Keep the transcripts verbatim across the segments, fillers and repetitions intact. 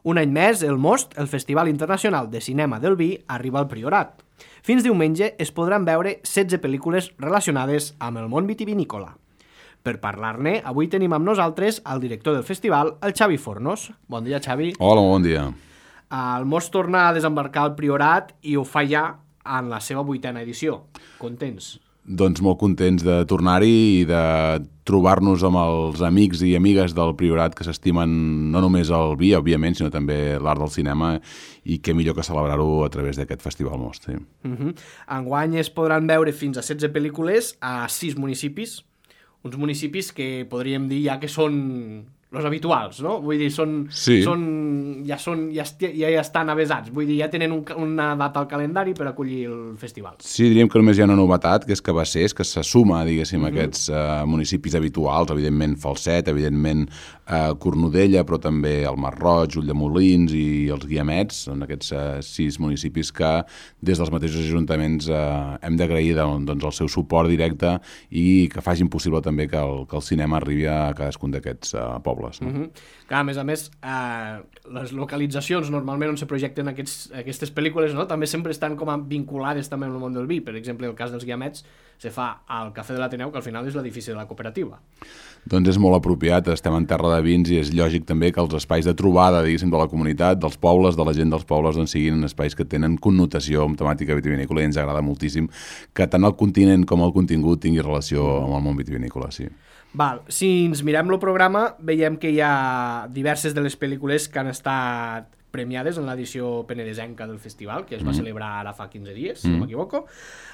Un any més, el Most, el Festival Internacional de Cinema del Vi, arriba al Priorat. Fins diumenge es podran veure setze pel·lícules relacionades amb el món vitivinícola. Per parlar-ne, avui tenim amb nosaltres el director del festival, el Xavi Fornos. Bon dia, Xavi. Hola, bon dia. El Most torna a desembarcar al Priorat i ho fa ja en la seva vuitena edició. Contents? Doncs molt contents de tornar-hi i de trobar-nos amb els amics i amigues del Priorat que s'estimen no només el vi, òbviament, sinó també l'art del cinema, i què millor que celebrar-ho a través d'aquest Festival Most. Sí. Uh-huh. Enguany es podran veure fins a setze pel·lícules a sis municipis, uns municipis que podríem dir ja que són els habituals, no? Vull dir, són, sí. són, ja, són ja, esti, ja, ja estan avesats, vull dir, ja tenen un, una data al calendari per acollir el festival. Sí, diríem que només hi ha una novetat, que és que va ser, és que se suma, diguéssim, uh-huh. aquests uh, municipis habituals, evidentment Falset, evidentment uh, Cornudella, però també el Masroig, Ulldemolins i els Guiamets, són aquests uh, sis municipis que des dels mateixos ajuntaments uh, hem d'agrair doncs, el seu suport directe i que facin possible també que el, que el cinema arribi a cadascun d'aquests uh, pobles. No? Uh-huh. Clar, a més a més, eh, les localitzacions normalment on se projecten aquests, aquestes pel·lícules, no? També sempre estan com a vinculades també amb el món del vi. Per exemple, el cas dels Guiamets se fa al Cafè de l'Ateneu, que al final és l'edifici de la cooperativa. Doncs és molt apropiat, estem en terra de vins i és lògic també que els espais de trobada, diguéssim, de la comunitat, dels pobles, de la gent dels pobles, doncs siguin espais que tenen connotació amb temàtica vitivinícola i ens agrada moltíssim que tant el continent com el contingut tingui relació amb el món vitivinícola, sí. Val, si ens mirem el programa, veiem que hi ha diverses de les pel·lícules que han estat premiades en l'edició penedesenca del festival, que es va mm. celebrar ara fa quinze dies, si mm. no m'equivoco.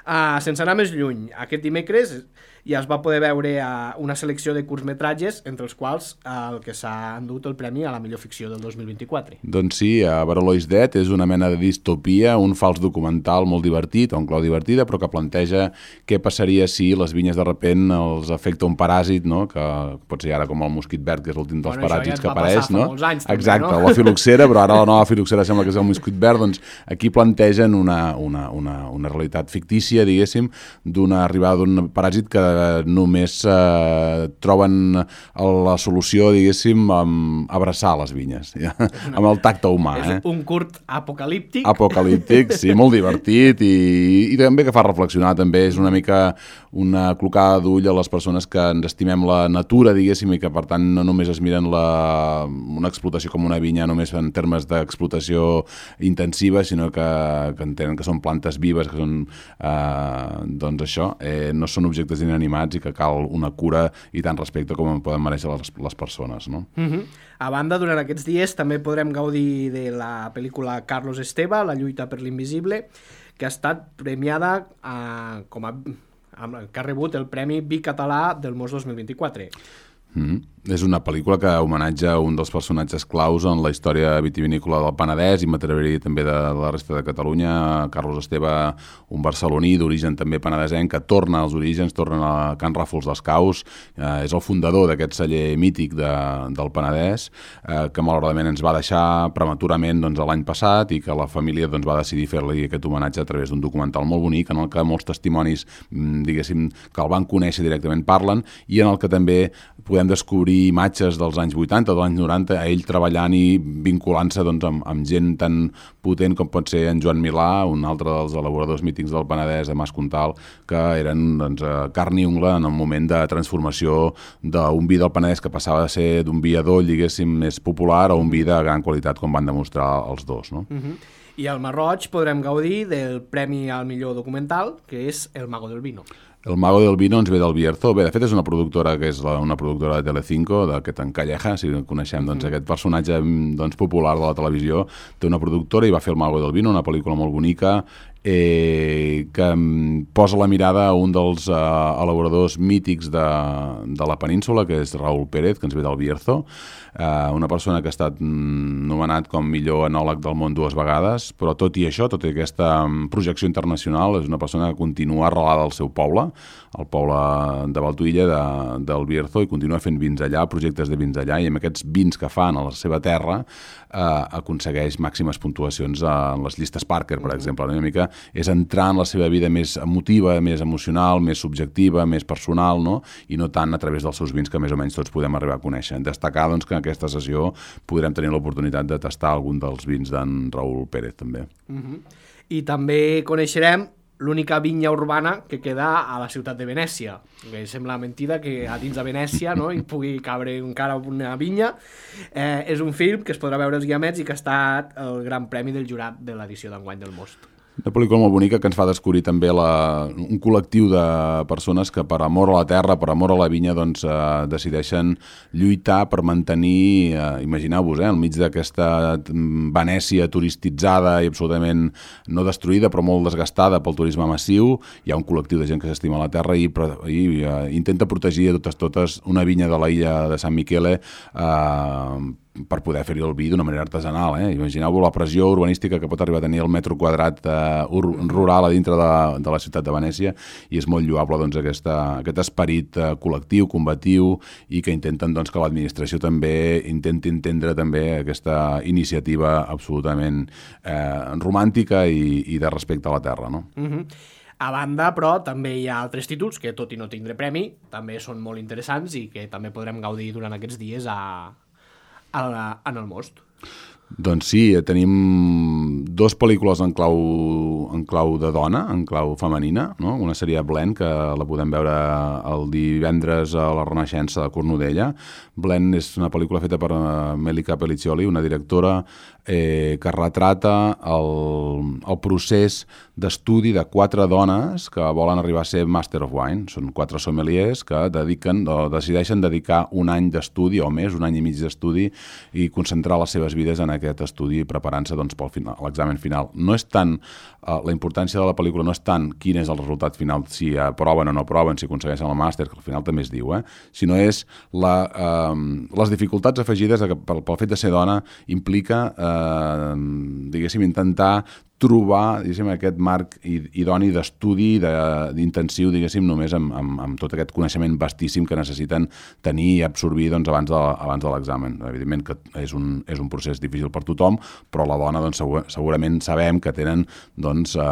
Uh, sense anar més lluny, aquest dimecres ja es va poder veure uh, una selecció de curtmetratges, entre els quals uh, el que s'ha endut el premi a la millor ficció del dos mil vint-i-quatre. Doncs sí, a Barolo is Dead és una mena de distopia, un fals documental molt divertit, o un clau divertida, però que planteja què passaria si les vinyes de repent els afecta un paràsit, no? Que pot ser ara com el mosquit verd, que és l'últim dels bueno, paràsits ja que apareix, no? Anys, també, exacte, no? La filoxera, però ara la nova filoxera sembla que és el mosquit verd, doncs aquí plantegen una, una, una, una realitat fictícia, diguéssim, d'una arribada d'un paràsit que només eh, troben la solució, diguéssim, amb abraçar les vinyes, ja? Una, amb el tacte humà. És eh? un curt apocalíptic. Apocalíptic, sí, molt divertit i, i també que fa reflexionar, també és una mica una clocada d'ull a les persones que ens estimem la natura, diguéssim, i que per tant no només es miren la, una explotació com una vinya només en termes d'explotació intensiva, sinó que, que entenen que són plantes vives, que són, eh, doncs això, eh, no són objectes inanimats i que cal una cura i tant respecte com en poden mereixer les, les persones, no? Uh-huh. A banda, durant aquests dies també podrem gaudir de la pel·lícula Carlos Esteve, La lluita per l'invisible, que ha estat premiada eh, com a, que ha rebut el Premi Vi Català del Most dos mil vint-i-quatre. Mm-hmm. És una pel·lícula que homenatja un dels personatges claus en la història vitivinícola del Penedès i m'atreviria també de la resta de Catalunya. Carlos Esteve, un barceloní d'origen també penedesenc, que torna als orígens, torna a Can Ràfols dels Caus, eh, és el fundador d'aquest celler mític de, del Penedès, eh, que malauradament ens va deixar prematurament doncs, l'any passat i que la família doncs, va decidir fer-li aquest homenatge a través d'un documental molt bonic en el que molts testimonis, diguéssim, que el van conèixer directament parlen i en el que també podem descobrir imatges dels anys vuitanta, dels anys noranta, a ell treballant i vinculant-se doncs, amb, amb gent tan potent com pot ser en Joan Milà, un altre dels elaboradors mítics del Penedès, a Mas Comtal, que eren doncs, carn i ungla en el moment de transformació d'un vi del Penedès que passava de ser d'un vi adoll, diguéssim, més popular a un vi de gran qualitat, com van demostrar els dos, no? Uh-huh. I al Masroig podrem gaudir del Premi al millor documental, que és El Mago del Vino. El Mago del Vino ens ve del Bierzo. Bé, de fet és una productora que és la, una productora de Telecinco, d'aquest en Calleja, si coneixem doncs, aquest personatge doncs, popular de la televisió. Té una productora i va fer El Mago del Vino, una pel·lícula molt bonica, eh, que posa la mirada a un dels eh, elaboradors mítics de, de la península, que és Raúl Pérez, que ens ve del Bierzo, eh, una persona que ha estat nomenat com millor enòleg del món dues vegades, però tot i això, tot i aquesta projecció internacional, és una persona que continua arrelada al seu poble, al poble de Valtuïlla, de, del Bierzo, i continua fent vins allà, projectes de vins allà, i amb aquests vins que fan a la seva terra eh, aconsegueix màximes puntuacions en les llistes Parker, per exemple, una mica és entrar en la seva vida més emotiva, més emocional, més subjectiva, més personal, no? I no tant a través dels seus vins que més o menys tots podem arribar a conèixer. Destacar doncs, que en aquesta sessió podrem tenir l'oportunitat de tastar algun dels vins d'en Raúl Pérez, també. Uh-huh. I també coneixerem l'única vinya urbana que queda a la ciutat de Venècia. Que sembla mentida que a dins de Venècia, no, hi pugui cabre encara una vinya. Eh, és un film que es podrà veure als Guiamets i que ha estat el gran premi del jurat de l'edició d'enguany del Most. Una pel·lícula molt bonica que ens fa descobrir també la, un col·lectiu de persones que per amor a la terra, per amor a la vinya, doncs, eh, decideixen lluitar per mantenir, eh, imagineu-vos, eh, al mig d'aquesta Venècia turistitzada i absolutament no destruïda, però molt desgastada pel turisme massiu. Hi ha un col·lectiu de gent que s'estima la terra i, i eh, intenta protegir a totes totes una vinya de l'illa de San Michele eh, per poder fer-hi el vi d'una manera artesanal. Eh? Imagineu-vos la pressió urbanística que pot arribar a tenir el metro quadrat eh, rural a dintre de, de la ciutat de Venècia, i és molt lloable doncs, aquesta, aquest esperit eh, col·lectiu, combatiu, i que intenten doncs, que l'administració també intenti entendre també aquesta iniciativa absolutament eh, romàntica i, i de respecte a la terra. No? Uh-huh. A banda, però, també hi ha altres títols que, tot i no tindre premi, també són molt interessants i que també podrem gaudir durant aquests dies a en el Most. Doncs sí, tenim dues pel·lícules en clau, en clau de dona, en clau femenina, no? Una seria Blend, que la podem veure el divendres a la Renaixença de Cornudella. Blend és una pel·lícula feta per Melica Pelliccioli, una directora eh, que retrata el, el procés d'estudi de quatre dones que volen arribar a ser Master of Wine. Són quatre sommeliers que dediquen, o decideixen dedicar un any d'estudi o més, un any i mig d'estudi, i concentrar les seves vides en aquest estudi preparant-se doncs, pel final, l'examen final. No és tant, eh, la importància de la pel·lícula no és tant quin és el resultat final, si aproven o no aproven, si aconsegueixen el màster, que al final també es diu, eh? sinó és la, eh, les dificultats afegides que pel, pel fet de ser dona implica, eh, diguéssim, intentar trobar, diguéssim, aquest marc idoni d'estudi, d'intensiu, diguéssim, només amb, amb, amb tot aquest coneixement vastíssim que necessiten tenir i absorbir doncs, abans de, abans de l'examen. Evidentment que és un, és un procés difícil per tothom, però la dona doncs, segur, segurament sabem que tenen doncs, eh,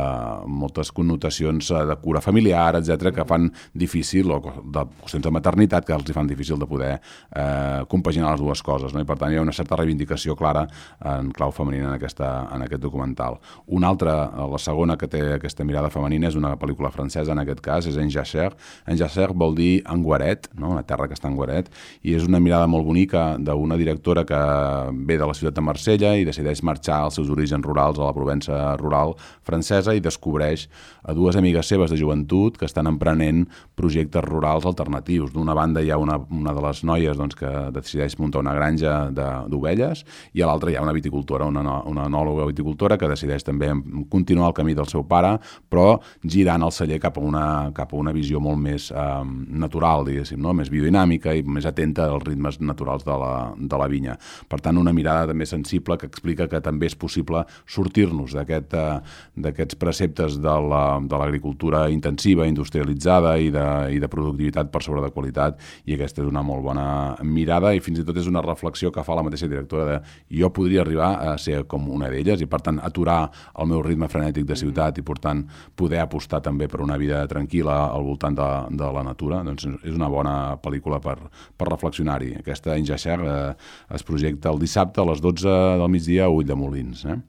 moltes connotacions de cura familiar, etcètera, que fan difícil, o de qüestions de maternitat, que els fan difícil de poder eh, compaginar les dues coses. No? I per tant hi ha una certa reivindicació clara en clau femenina en, aquesta, en aquest documental. Una altra, la segona que té aquesta mirada femenina, és una pel·lícula francesa, en aquest cas, és En Jachère. En Jachère vol dir en guaret, no? Una terra que està en guaret, i és una mirada molt bonica d'una directora que ve de la ciutat de Marsella i decideix marxar als seus orígens rurals a la Provença rural francesa i descobreix a dues amigues seves de joventut que estan emprenent projectes rurals alternatius. D'una banda hi ha una, una de les noies doncs, que decideix muntar una granja d'ovelles, i a l'altra hi ha una viticultora, una, una enòloga viticultora que decideix també continuar el camí del seu pare, però girant el celler cap a una, cap a una visió molt més eh, natural, diguéssim, no? Més biodinàmica i més atenta als ritmes naturals de la, de la vinya. Per tant, una mirada també sensible que explica que també és possible sortir-nos d'aquest, eh, d'aquests preceptes de l'agricultura la, intensiva, industrialitzada i de, i de productivitat per sobre de qualitat, i aquesta és una molt bona mirada, i fins i tot és una reflexió que fa la mateixa directora de jo podria arribar a ser com una d'elles, i per tant aturar el meu ritme frenètic de ciutat i, per tant, poder apostar també per una vida tranquil·la al voltant de, de la natura. Doncs és una bona pel·lícula per, per reflexionar-hi. Aquesta En Jachère eh, es projecta el dissabte a les dotze del migdia a Ulldemolins. Eh?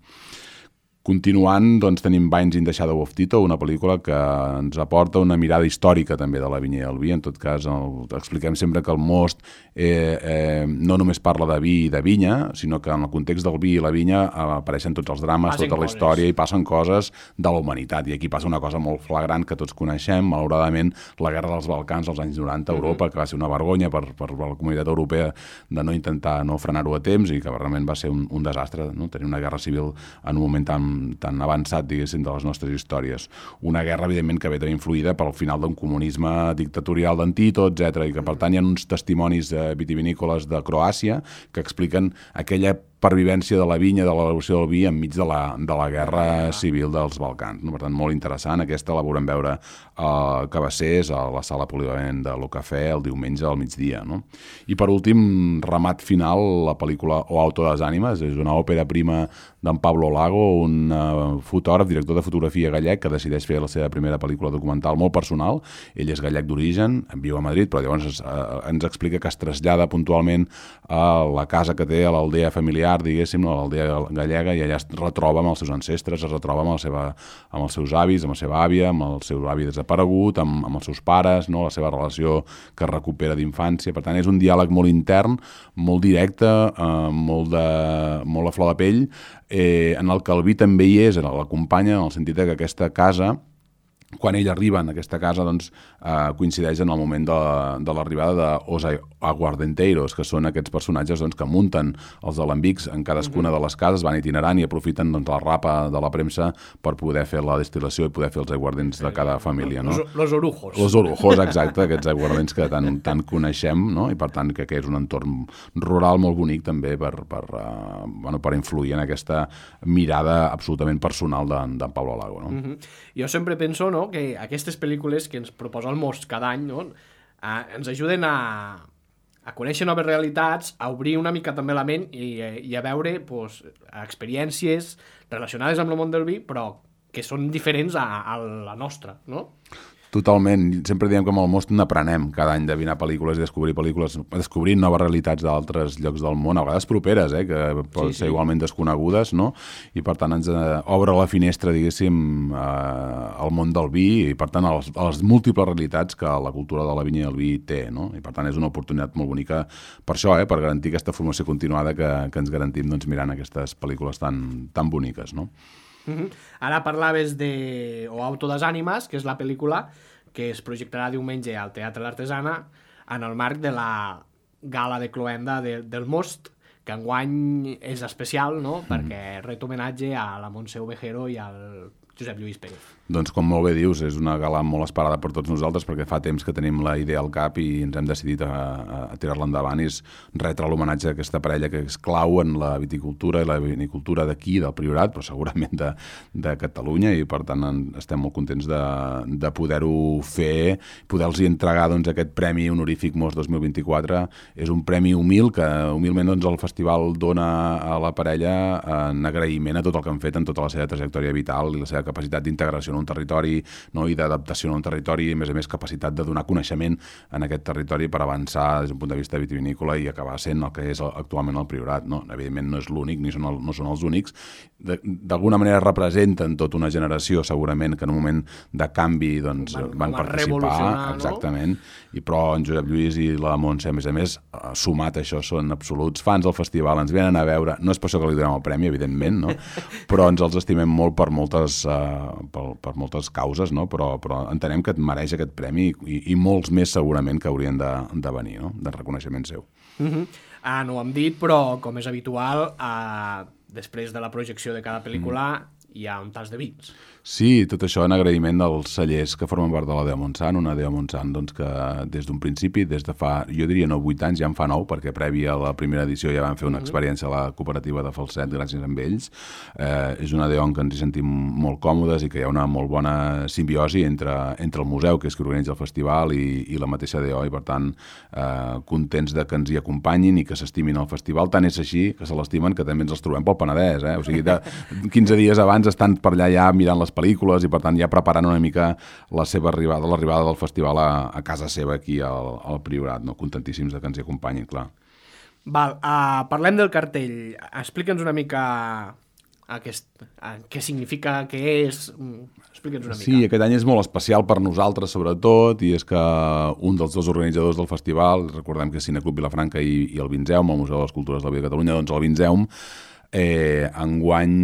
Continuant, doncs, tenim Vines in the Shadow of Tito, una pel·lícula que ens aporta una mirada històrica també de la vinya i el vi. En tot cas, el, expliquem sempre que el Most eh, eh, no només parla de vi i de vinya, sinó que en el context del vi i la vinya eh, apareixen tots els drames, passen tota la història, i passen coses de la humanitat. I aquí passa una cosa molt flagrant que tots coneixem, malauradament, la guerra dels Balcans als anys noranta a Europa, que va ser una vergonya per, per la comunitat europea de no intentar no frenar-ho a temps, i que realment va ser un, un desastre, no? Tenir una guerra civil en un moment tan tan avançat, diguéssim, de les nostres històries. Una guerra, evidentment, que ve també influïda pel final d'un comunisme dictatorial d'en Tito, etcètera, i que, per tant, hi ha uns testimonis vitivinícoles de Croàcia que expliquen aquella pervivència de la vinya, de l'elaboració del vi enmig de la, de la guerra civil dels Balcans. No? Per tant, molt interessant. Aquesta la veurem veure a Cabassers, a la sala polivalent de l'Ocafè, el diumenge al migdia. No? I per últim, remat final, la pel·lícula O Auto de les Ànimes. És una òpera prima d'en Pablo Lago, un uh, fotògraf, director de fotografia gallec, que decideix fer la seva primera pel·lícula documental molt personal. Ell és gallec d'origen, viu a Madrid, però llavors uh, ens explica que es trasllada puntualment a la casa que té, a l'aldea familiar, diguéssim, a l'aldea gallega, i allà es retroba amb els seus ancestres, es retroba amb, la seva, amb els seus avis, amb la seva àvia, amb el seu avi desaparegut, amb, amb els seus pares, no? La seva relació que recupera d'infància. Per tant, és un diàleg molt intern, molt directe, eh, molt, de, molt a flor de pell, eh, en el que el vi també hi és, l'acompanya, en el sentit que aquesta casa, quan ell arriba en aquesta casa, doncs, eh, coincideix en el moment de, de l'arribada d'Os Aguardenteiros, que són aquests personatges doncs, que munten els alambics en cadascuna uh-huh. de les cases, van itinerant i aprofiten doncs, la rapa de la premsa per poder fer la destil·lació i poder fer els aiguardents de cada família. No? Los, los orujos. Los orujos, exacte, aquests aiguardents que tant, tant coneixem, no? I per tant que, que és un entorn rural molt bonic també per, per, uh, bueno, per influir en aquesta mirada absolutament personal d'en de Pablo Lago. No? Uh-huh. Jo sempre penso, no, que aquestes pel·lícules que ens proposa el Most cada any, no, eh, ens ajuden a, a conèixer noves realitats, a obrir una mica també la ment i, i a veure pues, experiències relacionades amb el món del vi, però que són diferents a, a la nostra, no? Totalment. Sempre diem que amb el Most n'aprenem cada any de mirar pel·lícules i descobrir pel·lícules, descobrir noves realitats d'altres llocs del món, a vegades properes, eh, que poden sí, ser sí. igualment desconegudes, no? I per tant ens eh, obre la finestra, diguéssim, eh, al món del vi i per tant a les, a les múltiples realitats que la cultura de la vinya i el vi té, no? I per tant és una oportunitat molt bonica per això, eh, per garantir aquesta formació continuada que, que ens garantim doncs, mirant aquestes pel·lícules tan, tan boniques, no? Uh-huh. Ara parlaves de O Auto das Ànimes, que és la pel·lícula que es projectarà diumenge al Teatre l'Artesana en el marc de la gala de cloenda de, del Most, que enguany és especial, no? Mm. Perquè ret homenatge a la Montse Ovejero i al Josep Lluís Pérez. Doncs com molt bé dius, és una gala molt esperada per tots nosaltres perquè fa temps que tenim la idea al cap i ens hem decidit a, a tirar-la endavant i és retre l'homenatge a aquesta parella que és clau en la viticultura i la vinicultura d'aquí, del Priorat, però segurament de, de Catalunya i per tant en, estem molt contents de, de poder-ho fer, poder-los entregar doncs, aquest Premi Honorífic Most dos mil vint-i-quatre. És un premi humil que humilment doncs, el festival dona a la parella en agraïment a tot el que han fet en tota la seva trajectòria vital i la seva capacitat d'integració en un territori, no? I d'adaptació en un territori i a més a més capacitat de donar coneixement en aquest territori per avançar des d'un punt de vista vitivinícola i acabar sent el que és actualment el Priorat. No? Evidentment no és l'únic ni són el, no són els únics. D'alguna manera representen tota una generació segurament que en un moment de canvi doncs, van, van participar, exactament, no? I però en Josep Lluís i la Montse a més a més sumat a això són absoluts fans del festival, ens venen a veure, no és per això que li donem el premi evidentment, no? Però ens els estimem molt per moltes uh, per, per moltes causes, no? però, però entenem que et mereix aquest premi i, i molts més segurament que haurien de, de venir, no? De reconeixement seu. Uh-huh. Ah, no ho hem dit, però com és habitual, uh, després de la projecció de cada pel·lícula mm. hi ha un tas de vins. Sí, tot això en agraïment dels cellers que formen part de la Dea Montsant, una Dea Montsant doncs, que des d'un principi, des de fa, jo diria no vuit anys, ja en fa nou, perquè prèvia a la primera edició ja van fer una mm-hmm. experiència a la cooperativa de Falset, gràcies a ells. Eh, és una Dea on que ens hi sentim molt còmodes i que hi ha una molt bona simbiosi entre, entre el museu, que és qui organitza el festival, i, i la mateixa Dea, i per tant eh, contents de que ens hi acompanyin i que s'estimin al festival. Tant és així que se l'estimen que també ens els trobem pel Penedès. Eh? O sigui, de quinze dies abans estan per allà ja mirant les pel·lícules i per tant ja preparant una mica la seva arribada, l'arribada del festival a, a casa seva aquí al, al Priorat, no? Contentíssims de que ens hi acompanyin, clar. Val, uh, parlem del cartell. Explica'ns una mica aquest, uh, què significa, què és... Explica'ns una mica. Sí, aquest any és molt especial per nosaltres sobretot i és que un dels dos organitzadors del festival, recordem que és Cineclub Vilafranca i, i el Vinzeum, el Museu de les Cultures de la Vida de Catalunya, doncs el Vinzeum Eh, enguany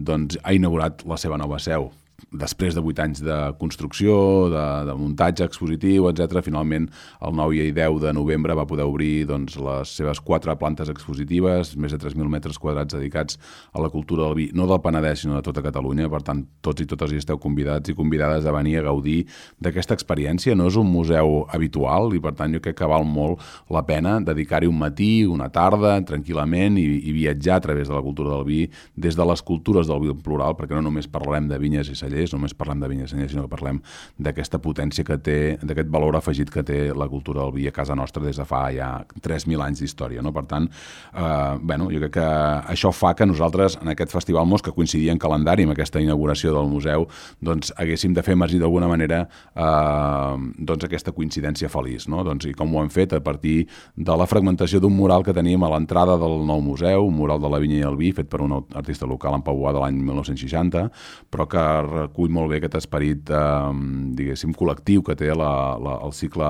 doncs, ha inaugurat la seva nova seu després de vuit anys de construcció, de, de muntatge expositiu, etcètera, finalment el nou i deu de novembre va poder obrir doncs, les seves quatre plantes expositives, més de tres mil metres quadrats dedicats a la cultura del vi, no del Penedès, sinó de tota Catalunya. Per tant, tots i totes hi esteu convidats i convidades a venir a gaudir d'aquesta experiència. No és un museu habitual i, per tant, jo crec que val molt la pena dedicar-hi un matí, una tarda, tranquil·lament i, i viatjar a través de la cultura del vi, des de les cultures del vi plural, perquè no només parlem de vinyes i cellers, només parlem de vinyes i cellers, sinó que parlem d'aquesta potència que té, d'aquest valor afegit que té la cultura del vi a casa nostra des de fa ja tres mil anys d'història, no? Per tant, eh, bueno, jo crec que això fa que nosaltres, en aquest Festival Mos, que coincidia en calendari amb aquesta inauguració del museu, doncs haguéssim de fer emergir d'alguna manera eh, doncs aquesta coincidència feliç, no? Doncs, i com ho hem fet a partir de la fragmentació d'un mural que teníem a l'entrada del nou museu, un mural de la vinya i el vi, fet per un artista local en Pau Boada de l'any mil nou-cents seixanta, però que recull molt bé aquest esperit, eh, diguéssim, col·lectiu que té la, la, el cicle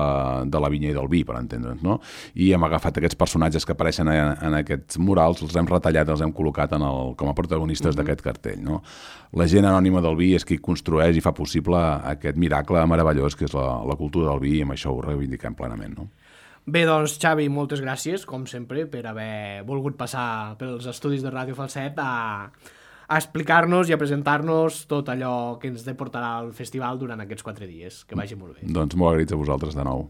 de la vinya i del vi, per entendre'ns, no? I hem agafat aquests personatges que apareixen en, en aquests murals, els hem retallat, els hem col·locat en el, com a protagonistes mm-hmm. d'aquest cartell, no? La gent anònima del vi és qui construeix i fa possible aquest miracle meravellós que és la, la cultura del vi, i amb això ho reivindiquem plenament, no? Bé, doncs, Xavi, moltes gràcies, com sempre, per haver volgut passar pels estudis de Ràdio Falset a, a explicar-nos i a presentar-nos tot allò que ens deportarà al festival durant aquests quatre dies. Que vagi molt bé. Doncs molt agraïts a vosaltres de nou.